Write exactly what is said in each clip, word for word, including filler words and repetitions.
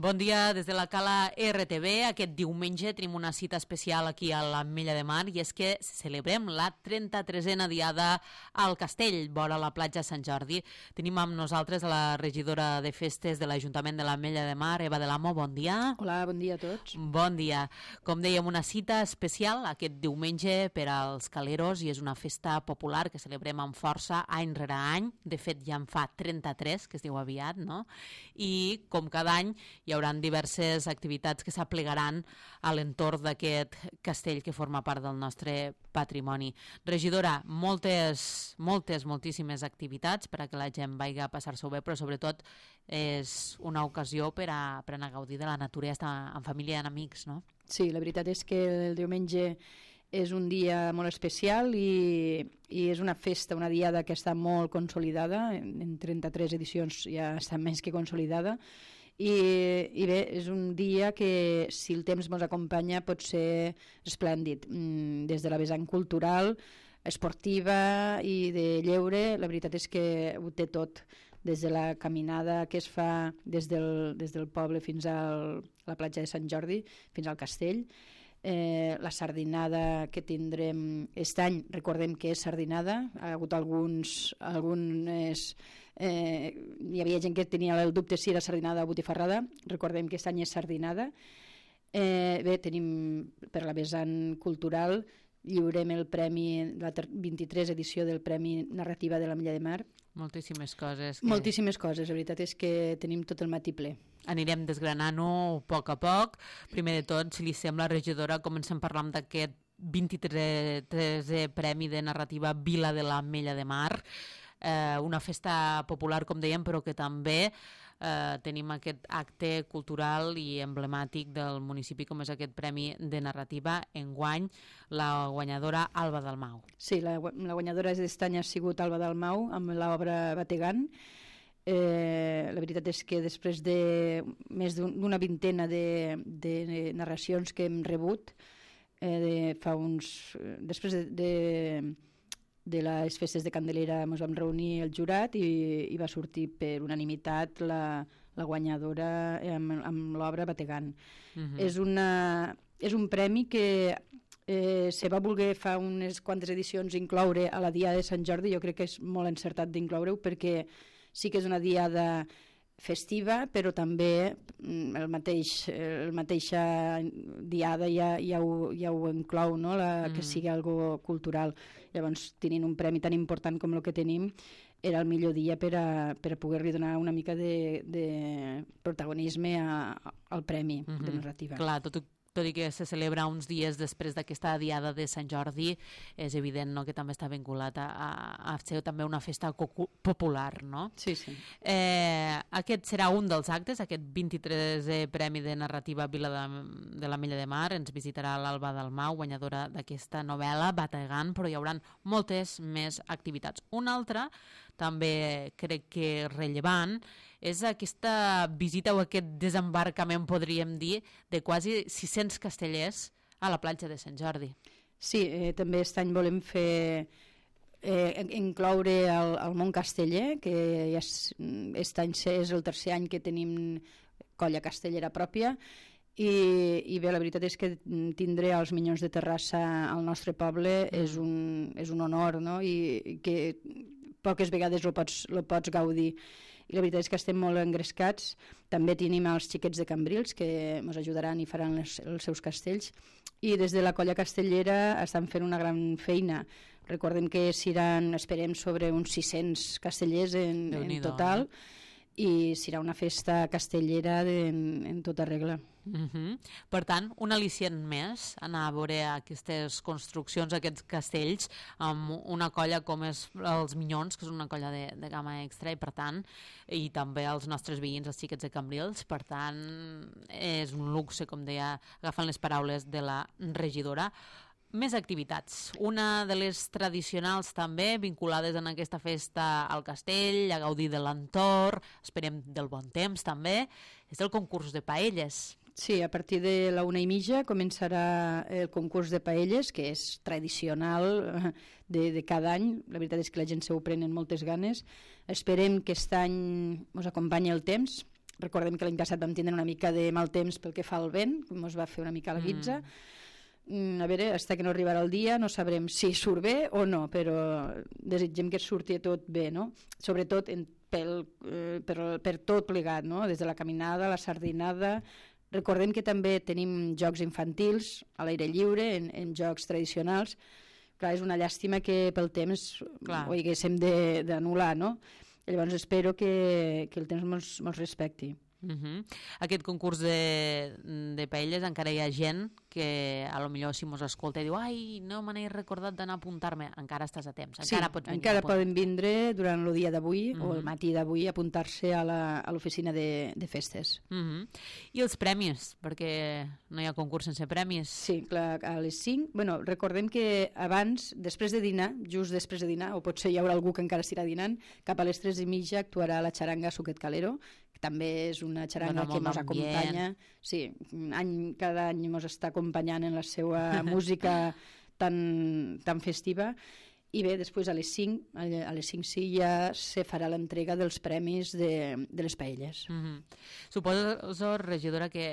Bon dia des de la Cala R T V. Aquest diumenge tenim una cita especial aquí a l'Ametlla de Mar i és que celebrem la trenta-tresena diada al Castell, vora la platja Sant Jordi. Tenim amb nosaltres a la regidora de festes de l'Ajuntament de l'Ametlla de Mar, Eva de l'Amo. Bon dia. Hola, bon dia a tots. Bon dia. Com dèiem, una cita especial aquest diumenge per als caleros i és una festa popular que celebrem amb força any rere any. De fet, ja en fa trenta-tres, que es diu aviat, no? I com cada any hi haurà diverses activitats que s'aplegaran a l'entorn d'aquest castell que forma part del nostre patrimoni. Regidora, moltes, moltes, moltíssimes activitats per a que la gent vagi a passar-s'ho bé, però sobretot és una ocasió per a, per a anar a gaudir de la natura i estar en família i en amics, no? Sí, la veritat és que el diumenge és un dia molt especial i, i és una festa, una diada que està molt consolidada, en trenta-tres edicions ja està més que consolidada. I, i bé, és un dia que si el temps ens acompanya pot ser esplèndid, des de la vessant cultural, esportiva i de lleure. La veritat és que ho té tot, des de la caminada que es fa des del, des del poble fins al, a la platja de Sant Jordi, fins al castell. Eh, la sardinada que tindrem aquest any, recordem que és sardinada, ha hagut alguns algunes, eh, hi havia gent que tenia el dubte si era sardinada o botifarrada. Recordem que aquest any és sardinada. Eh, bé, tenim per la vessant cultural, lliurem el premi, la vint-i-tres edició del Premi Narrativa de l'Ametlla de Mar. Moltíssimes coses. Que... Moltíssimes coses, la veritat és que tenim tot el matí ple. Anirem desgranant-ho a poc a poc. Primer de tot, si li sembla, regidora, comencem parlant d'aquest vint-i-tresè Premi de Narrativa Vila de l'Ametlla de Mar. Eh, una festa popular, com dèiem, però que també eh, tenim aquest acte cultural i emblemàtic del municipi, com és aquest Premi de Narrativa. Enguany, la guanyadora Alba Dalmau. Sí, la, la guanyadora d'aquest any ha sigut Alba Dalmau, amb l'obra Bategant. Eh, la veritat és que després de més d'una vintena de, de narracions que hem rebut, eh, de, fa uns... després de... de de les festes de Candelera ens vam reunir el jurat i, i va sortir per unanimitat la, la guanyadora amb, amb l'obra Bategant. Uh-huh. És, una, és un premi que eh, se va voler fa unes quantes edicions incloure a la Diada de Sant Jordi. Jo crec que és molt encertat d'incloure-ho perquè sí que és una diada festiva, però també el mateix, el mateixa diada ja, ja, ho, ja ho inclou, no? La, mm. que sigui algo cultural. Llavors, tenint un premi tan important com el que tenim, era el millor dia per a, per a poder-li donar una mica de, de protagonisme a, al premi mm-hmm. de narrativa. Clar, tot tot i que se celebra uns dies després d'aquesta diada de Sant Jordi, és evident, no?, que també està vinculat a, a, a ser també una festa popular, no? Sí, sí. Eh, aquest serà un dels actes, aquest vint-i-tresè Premi de Narrativa Vila de, de l'Ametlla de Mar. Ens visitarà l'Alba Dalmau, guanyadora d'aquesta novel·la, Bategant, però hi haurà moltes més activitats. Una altra, també crec que rellevant, és aquesta visita o aquest desembarcament, podríem dir, de quasi sis-cents castellers a la platja de Sant Jordi. Sí, eh, també aquest any volem fer eh, incloure el, el món casteller, que ja és, aquest any és el tercer any que tenim colla castellera pròpia, i, i bé, la veritat és que tindre els Minyons de Terrassa al nostre poble mm. és, un, és un honor, no? I, i que poques vegades lo pots, lo pots gaudir. I la veritat és que estem molt engrescats. També tenim els xiquets de Cambrils que ens ajudaran i faran les, els seus castells, i des de la colla castellera estan fent una gran feina. Recordem que seran, esperem, sobre uns sis-cents castellers en, en total, eh? I serà una festa castellera de, en, en tota regla. Uh-huh. Per tant, un al·licient més, anar a veure aquestes construccions, aquests castells, amb una colla com és els Minyons, que és una colla de, de gamma extra, i per tant, i també els nostres veïns, els xiquets de Cambrils. Per tant, és un luxe, com deia, agafant les paraules de la regidora. Més activitats. Una de les tradicionals també, vinculades en aquesta festa al castell, a gaudir de l'entorn, esperem del bon temps també, és el concurs de paelles. Sí, a partir de la una i mitja començarà el concurs de paelles, que és tradicional de, de cada any. La veritat és que la gent se ho pren amb moltes ganes. Esperem que aquest any ens acompanyi el temps, recordem que l'any passat vam tindre una mica de mal temps pel que fa al vent, que ens va fer una mica la guitza. Mm. A veure, fins que no arribarà el dia no sabrem si surt bé o no, però desitgem que surti tot bé, no? Sobretot en, pel, eh, per, per tot plegat, no? Des de la caminada, la sardinada. Recordem que també tenim jocs infantils a l'aire lliure, en, en jocs tradicionals. Clar, és una llàstima que pel temps Clar. ho haguéssim d'anul·lar, no? Llavors espero que, que el temps mos, mos respecti. Uh-huh. Aquest concurs de, de paelles encara hi ha gent que a lo millor si mos escolta i diu ai, no me n'he recordat d'anar a apuntar-me. Encara estàs a temps, encara sí, pots venir. Encara poden vindre durant el dia d'avui uh-huh. o el matí d'avui a apuntar-se a l'oficina de, de festes. Uh-huh. I els premis, perquè no hi ha concurs sense premis. Sí, clar, a les cinc. Bueno, recordem que abans, després de dinar, just després de dinar, o potser hi haurà algú que encara estirà dinant, cap a les tres i mitja actuarà la xaranga Suquet Calero, també és una xaranga que ens acompanya. Sí, any, cada any ens està acompanyant en la seva música tan, tan festiva. I bé, després a les cinc, a les cinc sí ja se farà l'entrega dels premis de, de les paelles. Mm-hmm. Suposo, regidora, que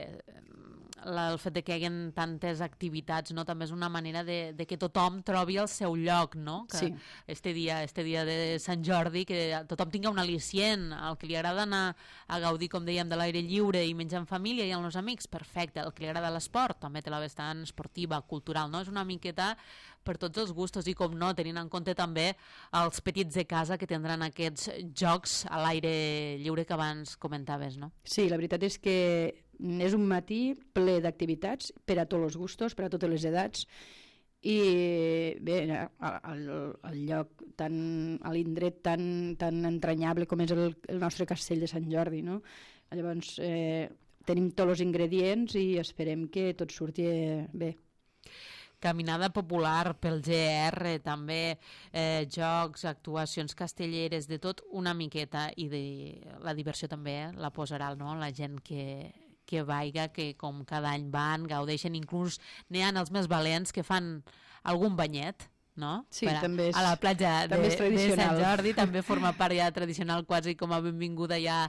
la, el fet de que hi hagi tantes activitats, no, també és una manera de, de que tothom trobi el seu lloc, no? Que sí. este dia, este dia de Sant Jordi, que tothom tinga un al·licient, el que li agrada anar a gaudir, com dèiem, de l'aire lliure i menjar en família i amb els amics, perfecte. El que li agrada l'esport, també té la vessant esportiva, cultural, no? És una miqueta per tots els gustos i, com no, tenint en compte també els petits de casa que tindran aquests jocs a l'aire lliure que abans comentaves, no? Sí, la veritat és que és un matí ple d'activitats per a tots els gustos, per a totes les edats, i bé, al, al lloc tan, a l'indret tan, tan entranyable com és el, el nostre castell de Sant Jordi, no? Llavors eh, tenim tots els ingredients i esperem que tot surti bé. Caminada popular pel G R, també eh, jocs, actuacions castelleres, de tot una miqueta, i de, la diversió també eh, la posarà, no? La gent que, que vaiga, que com cada any van, gaudeixen, inclús n'hi ha els més valents que fan algun banyet, no? Sí, per a, també és, a la platja de, de Sant Jordi, també forma part ja tradicional, quasi com a benvinguda ja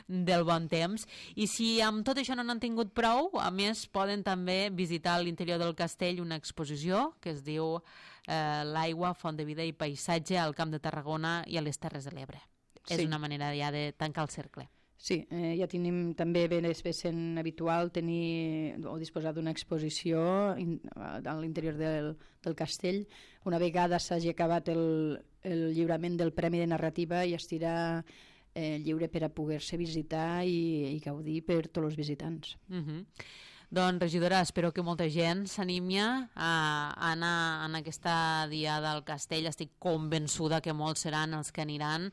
del bon temps. I si amb tot això no n'han tingut prou, a més poden també visitar a l'interior del castell una exposició que es diu eh, L'aigua, font de vida i paisatge al Camp de Tarragona i a les Terres de l'Ebre. Sí. És una manera ja de tancar el cercle. Sí, eh, ja tenim també ben sent habitual tenir o disposar d'una exposició in, a l'interior del, del castell. Una vegada s'hagi acabat el, el lliurament del Premi de Narrativa i estirà eh, lliure per a poder-se visitar i, i gaudir per tots els visitants. Uh-huh. Doncs, regidora, espero que molta gent s'animi a anar en aquesta diada al castell. Estic convençuda que molts seran els que aniran,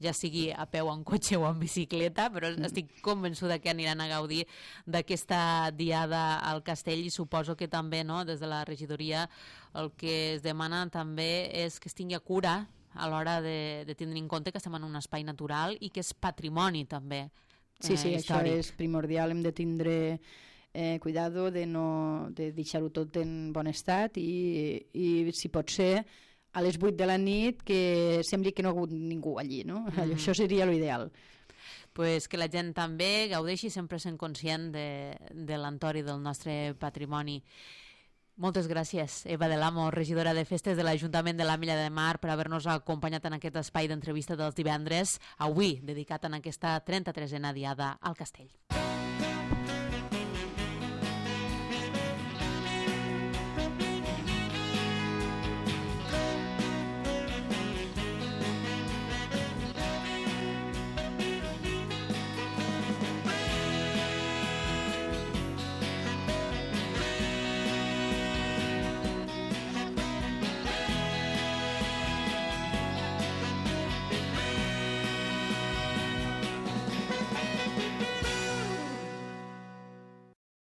ja sigui a peu, en cotxe o en bicicleta, però estic convençuda que aniran a gaudir d'aquesta diada al castell, i suposo que també, no, des de la regidoria el que es demana també és que es tingui cura a l'hora de, de tindre en compte que estem en un espai natural i que és patrimoni també eh, sí, sí, històric. Això és primordial, hem de tindre Eh, cuidado de no de deixar-ho tot en bon estat i, i si pot ser a les vuit de la nit que sembli que no ha hagut ningú allí, no? Mm. Això seria l'ideal. Pues que la gent també gaudeixi, sempre sent conscient de, de l'entorn del nostre patrimoni. Moltes gràcies, Eva del Amo, regidora de Festes de l'Ajuntament de l'Ametlla de Mar, per haver-nos acompanyat en aquest espai d'entrevista dels divendres, avui dedicat en aquesta trenta-tresena diada al Castell.